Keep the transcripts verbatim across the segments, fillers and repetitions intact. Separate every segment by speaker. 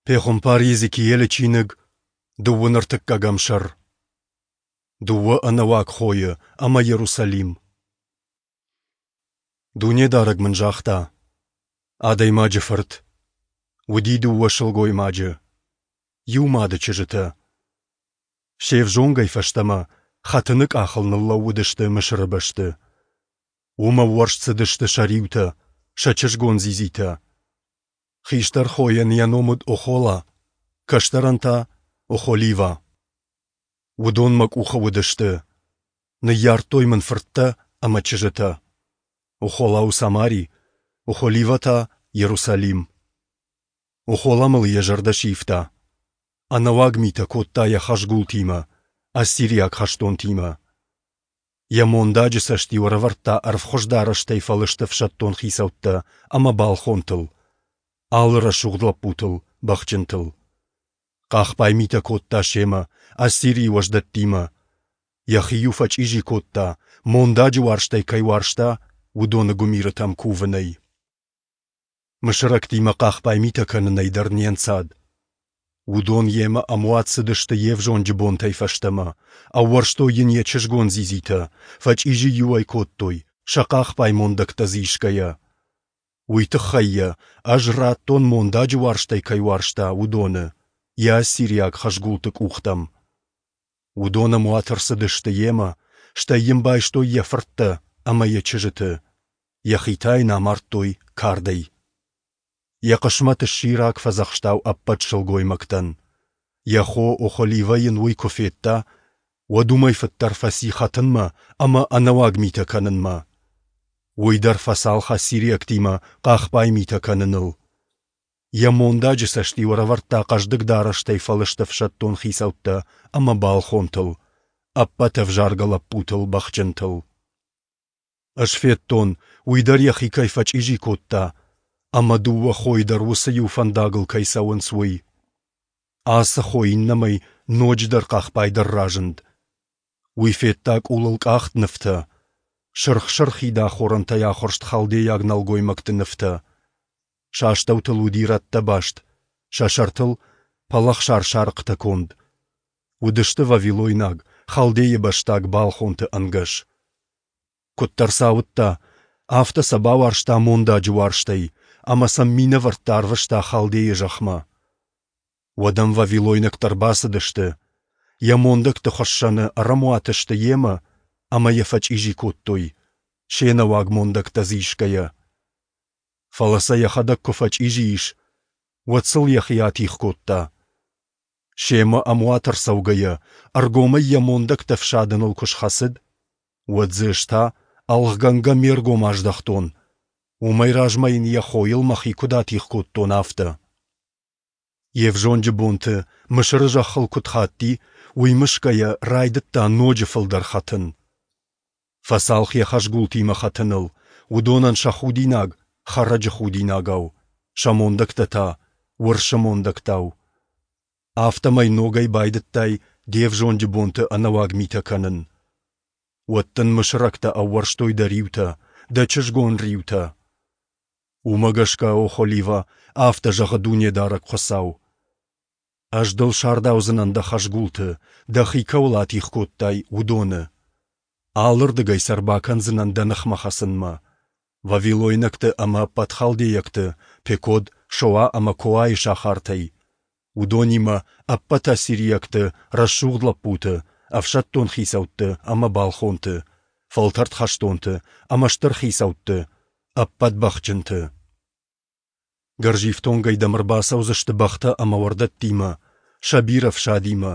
Speaker 1: Пехуымпар Йезекиелы чиныг, дыууын ӕртыккӕгӕм сӕр. Дыууӕ ӕнӕуаг хойы ӕмӕ Йерусалим. Дунедарӕг мын загъта: Адӕймаджы фырт, уыди дыууӕ сылгоймаджы, иу мады чызджытӕ. Се взонгӕй фӕстӕмӕ хӕтыны къахыл ныллӕууыдысты Мысыры бӕсты. Уым ӕууӕрст цыдысты сӕ риутӕ, сӕ чызгон дзидзитӕ. Хистӕр хойӕн йӕ ном уыд Охола, кӕстӕрӕн та – Охоливӕ. Уыдон мӕ къухы уыдысты. Ныййардтой мын фырттӕ ӕмӕ чызджытӕ. Охола у Самари, Охоливӕ та – Йерусалим. Охола мыл йӕ зӕрдӕ сивта. Ӕнӕуаг митӕ кодта йӕ хӕзгултимӕ, ассириаг хӕстонтимӕ. Йӕ мондаджы цӕст-иу ӕрӕвӕрдта ӕрвхуыз дарӕстӕй фӕлыст ӕфсӕддон хицӕуттӕ ӕмӕ балхонтыл, алы рӕсугъд лӕппутыл, бӕхджынтыл. Хъахбай митӕ кодта семӕ, Ассирийы уӕздӕттимӕ. Йӕхи-иу фӕчъизи кодта, мондаджы уарзтӕй кӕй уарзта, уыдоны гуымирытӕм кувынӕй. Мысырӕгтимӕ хъахбай митӕ кӕнынӕй дӕр не нцад. Уыдон йемӕ ӕмуат цыдысты йе взонджы бонтӕй фӕстӕмӕ, ӕууӕрстой йын йӕ чызгон дзидзитӕ, фӕчъизи-иу ӕй кодтой, сӕ хъахбай мондӕгтӕ дзы исгӕйӕ. Уый тыххӕй йӕ Ӕз радтон, мондаджы уарзтӕй кӕй уарзта, уыдоны, йӕ ассириаг хӕзгулты къухтӕм. Уыдон ӕмуат ӕрцыдысты йемӕ, стӕй йын байстой йӕ фырттӕ ӕмӕ йӕ чызджыты, йӕхи та йын амардтой кардӕй. Йӕ хъысмӕт сси рагфӕдзӕхстау ӕппӕт сылгоймӕгтӕн. Йӕ хо Охоливӕ йын уый куы федта, уӕд уымӕй фыддӕр фӕци хӕтынмӕ ӕмӕ ӕнӕуаг митӕ кӕнынмӕ. Уый дӕр фӕцалх ассириӕгтимӕ хъахбай митӕ кӕныныл. Йӕ мондаджы цӕст-иу ӕрӕвӕрдта хъӕздыг дарӕстӕй фӕлыст ӕфсӕддон хицӕуттӕ ӕмӕ балхонтыл, ӕппӕт ӕвзаргӕ лӕппутыл, бӕхджынтыл. Ӕз федтон, уый дӕр йӕхи кӕй фӕчъизи кодта, ӕмӕ дыууӕ хойы дӕр уыцы иу фӕндагыл кӕй цӕуынц, уый. Ацы хо иннӕмӕй ноджыдӕр хъахбайдӕр разынд. Уый федта къулыл къахт нывтӕ, сырх-сырхид ахорӕнтӕй ахуырст халдейаг нӕлгоймӕгты нывтӕ. Сӕ астӕутыл уыди рӕттӕ баст, сӕ сӕртыл пӕлӕхсар сарыхътӕ конд. Уыдысты вавилойнаг, халдейы бӕстаг балхонты ӕнгӕс. Куыддӕр сӕ ауыдта, афтӕ сӕ бауарзта мондаджы уарзтӕй ӕмӕ сӕм минӕвӕрттӕ арвыста Халдейы зӕхмӕ. Уӕд ӕм вавилойнӕгтӕ ӕрбацыдысты, йӕ мондӕгты хуыссӕны ӕрӕмуат сты йемӕ ӕмӕ йӕ фӕчъизи кодтой, се нӕуаг мондӕгтӕ дзы исгӕйӕ. Фӕлӕ сӕ йӕхӕдӕг куы фӕчъизи ис, уӕд сыл йӕхи атигъ кодта. Семӕ ӕмуат ӕрцӕугӕйӕ, ӕргомӕй йӕ мондӕгтӕ ӕфсадыныл куы схӕцыд, уӕд дзы ӕз та ӕлгъгӕнгӕ ме ргом аздӕхтон, уымӕй размӕ йын йӕ хойыл мӕхи куыд атигъ кодтон, афтӕ. Йе взонджы бонты Мысыры зӕххыл куыд хатти, уый мысгӕйӕ райдыдта ноджы фылдӕр хӕтын. Фӕцалх йӕ хӕзгултимӕ хӕтыныл, уыдонӕн сӕ худинаг хӕрӕджы худинагау, сӕ мондӕгтӕ та уырсы мондӕгтау. Афтӕмӕй ногӕй байдыдтай де взонджы бонты ӕнӕуаг митӕ кӕнын. Уӕд дын мысырӕгтӕ ӕууӕрстой дӕ риутӕ, дӕ чызгон риутӕ. Уымӕ гӕсгӕ, Охоливӕ, афтӕ зӕгъы Дунедарӕг Хуыцау: Ӕз дыл сардаудзынӕн дӕ хӕзгулты, дӕхи кӕуыл атигъ кодтай, уыдоны. Алырдыгӕй сӕ ӕрбакӕндзынӕн дӕ ныхмӕ хӕцынмӕ: вавилойнӕгты ӕмӕ ӕппӕт халдейӕгты, Пекод, Шоа ӕмӕ Коайы сахартӕй, уыдонимӕ ӕппӕт ассириӕгты рӕсугъд лӕппуты, ӕфсӕддон хицӕутты ӕмӕ балхонты, фӕлтӕрд хӕстонты ӕмӕ стыр хицӕутты, ӕппӕт бӕхджынты. Гӕрзифтонгӕй дӕм ӕрбацӕудзысты бӕхтӕ ӕмӕ уӕрдӕттимӕ, сӕ бирӕ фсадимӕ.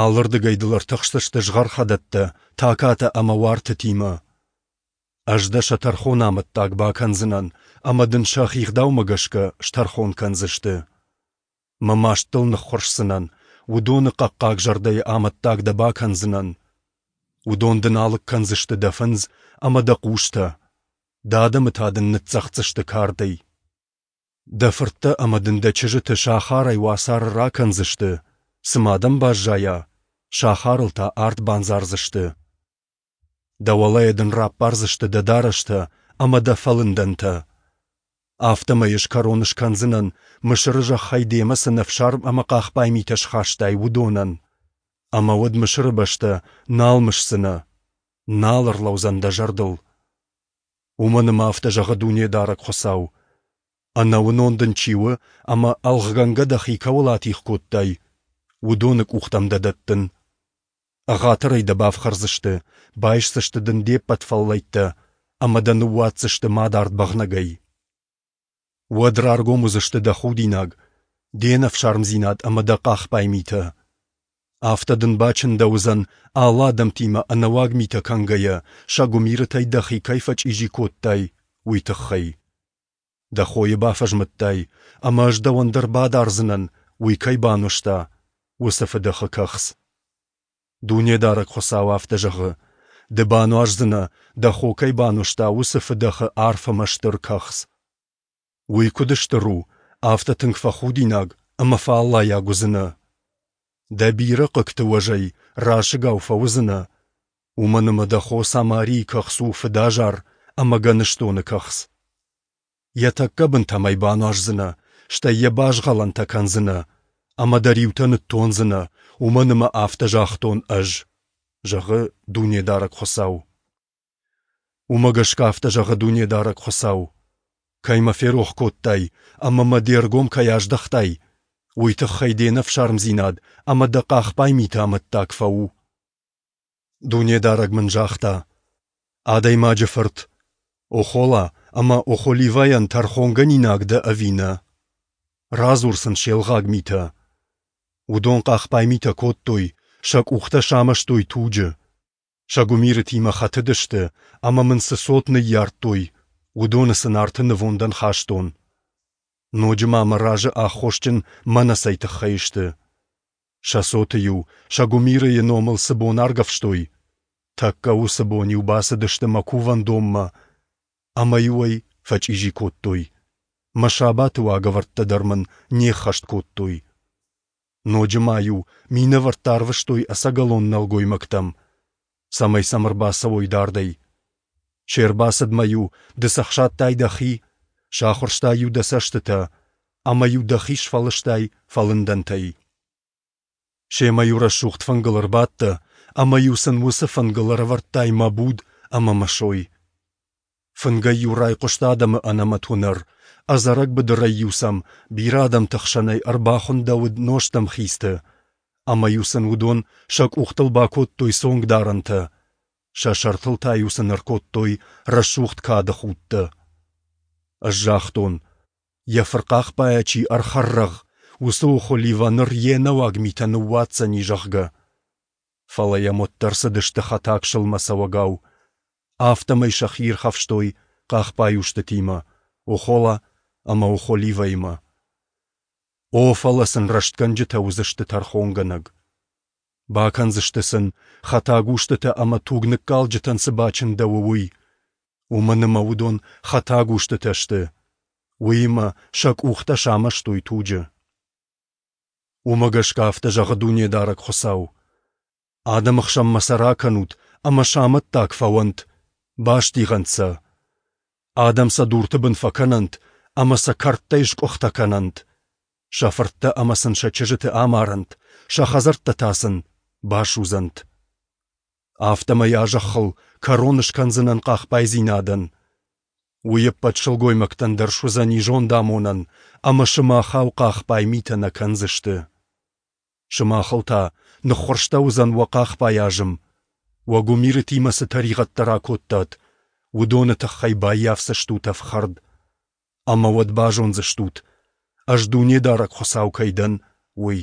Speaker 1: Алырдыгӕй дыл ӕртыхсдзысты згъӕрхӕдӕттӕ, такатӕ ӕмӕ уартытимӕ. Ӕз дӕ сӕ тӕрхоны амӕттаг бакӕндзынӕн, ӕмӕ дын сӕхи гъдаумӕ гӕсгӕ стӕрхон кӕндзысты. Мӕ маст дыл ныххуырсдзынӕн, уыдоны хъӕхъхъаг зӕрдӕйы амӕттаг дӕ бакӕндзынӕн. Уыдон дын алыг кӕндзысты дӕ фындз ӕмӕ дӕ хъустӕ, дӕ адӕмы та дын ныццӕгъддзысты кардӕй. Дӕ фырттӕ ӕмӕ дын дӕ чызджыты сахарӕй уацары ракӕндзысты, цы ма дӕм баззайа, сахарыл та арт бандзардзысты. Дӕ уӕлӕйӕ дын раппардзысты дӕ дарӕстӕ ӕмӕ дӕ фӕлындӕнтӕ. Афтӕмӕй ӕз кӕрон скӕндзынӕн, Мысыры зӕххӕй демӕ цы нӕфсарм ӕмӕ хъахбай митӕ схастай, уыдонӕн. Ӕмӕ уӕд Мысыры бӕстӕ нал мысдзынӕ, нал ӕрлӕудзӕн дӕ зӕрдыл. Уымӕн ӕмӕ афтӕ зӕгъы Дунедарӕг Хуыцау: Ӕнӕуынон дын чи у ӕмӕ ӕлгъгӕнгӕ дӕхи кӕуыл атигъ кодтай, уыдоны къухтӕм дӕ дӕттын. Ӕгъатырӕй дӕ бафхӕрдзысты, байсдзысты дын де ппӕт фӕллӕйттӕ ӕмӕ дӕ ныууадздзысты мадард бӕгънӕгӕй. Уӕд раргом уыдзысты дӕ худинаг, де нӕфсармдзинад ӕмӕ дӕ хъахбай митӕ. Афтӕ дын бачындӕуыдзӕн, алы адӕмтимӕ ӕнӕуаг митӕ кӕнгӕйӕ, сӕ гуымирытӕй дӕхи кӕй фӕчъизи кодтай, уый тыххӕй. Дӕ хойы бафӕзмыдтай, ӕмӕ ӕз дӕуӕн дӕр бадардзынӕн, уый кӕй бануӕзта, уыцы фыдӕхы кӕхц. Дунедарӕг Хуыцау афтӕ зӕгъы: Ды бануаздзынӕ, дӕ хо кӕй бануӕзта, уыцы фыдӕхы арф ӕмӕ стыр кӕхц. Уый куыд стыр у, афтӕ тынг фӕхудинаг ӕмӕ фӕаллайаг уыдзынӕ. Дӕ бирӕ хъыгты уӕзӕй расыгау фӕуыдзынӕ, уымӕн ӕмӕ дӕ хо Самарийы кӕхц у фыдазар ӕмӕ гӕныстоны кӕхц. Йӕ тӕккӕ бынтӕм ӕй бануаздзынӕ, стӕй йӕ базгъӕлӕнтӕ кӕндзынӕ, ӕмӕ дӕ риутӕ ныттондзынӕ, уымӕн ӕмӕ афтӕ загътон Ӕз, зӕгъы Дунедарӕг Хуыцау. Уымӕ гӕсгӕ афтӕ зӕгъы Дунедарӕг Хуыцау: Кӕй мӕ ферох кодтай ӕмӕ мӕ де ргом кӕй аздӕхтай, уый тыххӕй де нӕфсармдзинад ӕмӕ дӕ хъахбай миты амӕттаг фӕу. Дунедарӕг мын загъта: Адӕймаджы фырт, Охола ӕмӕ Охоливӕйӕн тӕрхонгӕнинаг дӕ ӕви нӕ? Радзур сын се лгъаг митӕ. Уыдон хъахбай митӕ кодтой, сӕ къухтӕ самӕстой туджы. Сӕ гуымирытимӕ хӕтыдысты, ӕмӕ мын цы цот ныййардтой, уыдоны сын арты нывондӕн хастон. Ноджы ма мӕ разы аххосджын мӕнӕ цӕй тыххӕй сты. Сӕ цоты-иу сӕ гуымирыйы номыл цы бон аргӕвстой, тӕккӕ уыцы бон-иу бацыдысты мӕ кувӕндонмӕ ӕмӕ-иу ӕй фӕчъизи кодтой. Мӕ сабаты уагӕвӕрдтӕ дӕр мын не ххӕст кодтой. Ноджы ма-иу минӕвӕрттӕ арвыстой ӕцӕгӕлон нӕлгоймӕгтӕм, цӕмӕй сӕм ӕрбацӕуой дардӕй. Се рбацыдмӕ-иу ды цӕхсадтай дӕхи, сахуырстай-иу дӕ цӕстытӕ ӕмӕ-иу дӕхи сфӕлыстай фӕлындӕнтӕй. Семӕ-иу рӕсугъд фынгыл ӕрбадтӕ ӕмӕ-иу сын уыцы фынгыл ӕрӕвӕрдтай мӕ буд ӕмӕ мӕ сой. Фынгӕй-иу райхъуыст адӕмы ӕнӕмӕт уынӕр, ӕдзӕрӕг быдырӕй-иу сӕм бирӕ адӕмты хсӕнӕй ӕрбахуындӕуыд нозтӕмхицты, ӕмӕ-иу сын уыдон сӕ къухтыл бакодтой цонгдарӕнтӕ, сӕ сӕртыл та-иу сын ӕркодтой рӕсугъд кады худтӕ. Ӕз загътон, йӕ фырхъахбайӕ чи ӕрхӕррӕгъ, уыцы Охоливӕ ныр йе нӕуаг митӕ ныууадздзӕни, зӕгъгӕ. Фӕлӕ йӕм уӕддӕр цыдысты хӕтаг сылмӕ цӕуӕгау. Афтӕмӕй сӕхи ирхӕфстой хъахбай устытимӕ, Охола ӕмӕ Охоливӕимӕ. О, фӕлӕ сын рӕстгӕнджытӕ уыдзысты тӕрхонгӕнӕг. Бакӕндзысты сын, хӕтаг устытӕ ӕмӕ туг ныккалджытӕн цы бачындӕуы, уый. Уымӕн ӕмӕ уыдон хӕтаг устытӕ сты. Уыимӕ сӕ къухтӕ самӕстой туджы. Уымӕ гӕсгӕ афтӕ зӕгъы Дунедарӕг Хуыцау: Адӕмы хсӕнмӕ сӕ ракӕнут ӕмӕ сӕ амӕттаг фӕуӕнт, бастигъӕнт сӕ. Адӕм сӕ дурты бын фӕкӕнӕнт ӕмӕ сӕ кӕрдтӕй скъуыхтӕ кӕнӕнт. Сӕ фырттӕ ӕмӕ сын сӕ чызджыты амарӕнт, сӕ хӕдзӕрттӕ та сын басудзӕнт. Афтӕмӕй а зӕххыл кӕрон скӕндзынӕн хъахбайдзинадӕн. Уый ӕппӕт сылгоймӕгтӕн дӕр суыдзӕни зондамонӕн, ӕмӕ сымахау хъахбай митӕ нӕ кӕндзысты. Сымахыл та ныххуырстӕуыдзӕн уӕ хъахбай азым. Уӕ гуымирытимӕ цы тӕригъӕдтӕ ракодтат, уыдоны тыххӕй баййафдзыстут ӕфхӕрд. Ӕмӕ уӕд базондзыстут, Ӕз Дунедарӕг Хуыцау кӕй дӕн, уый.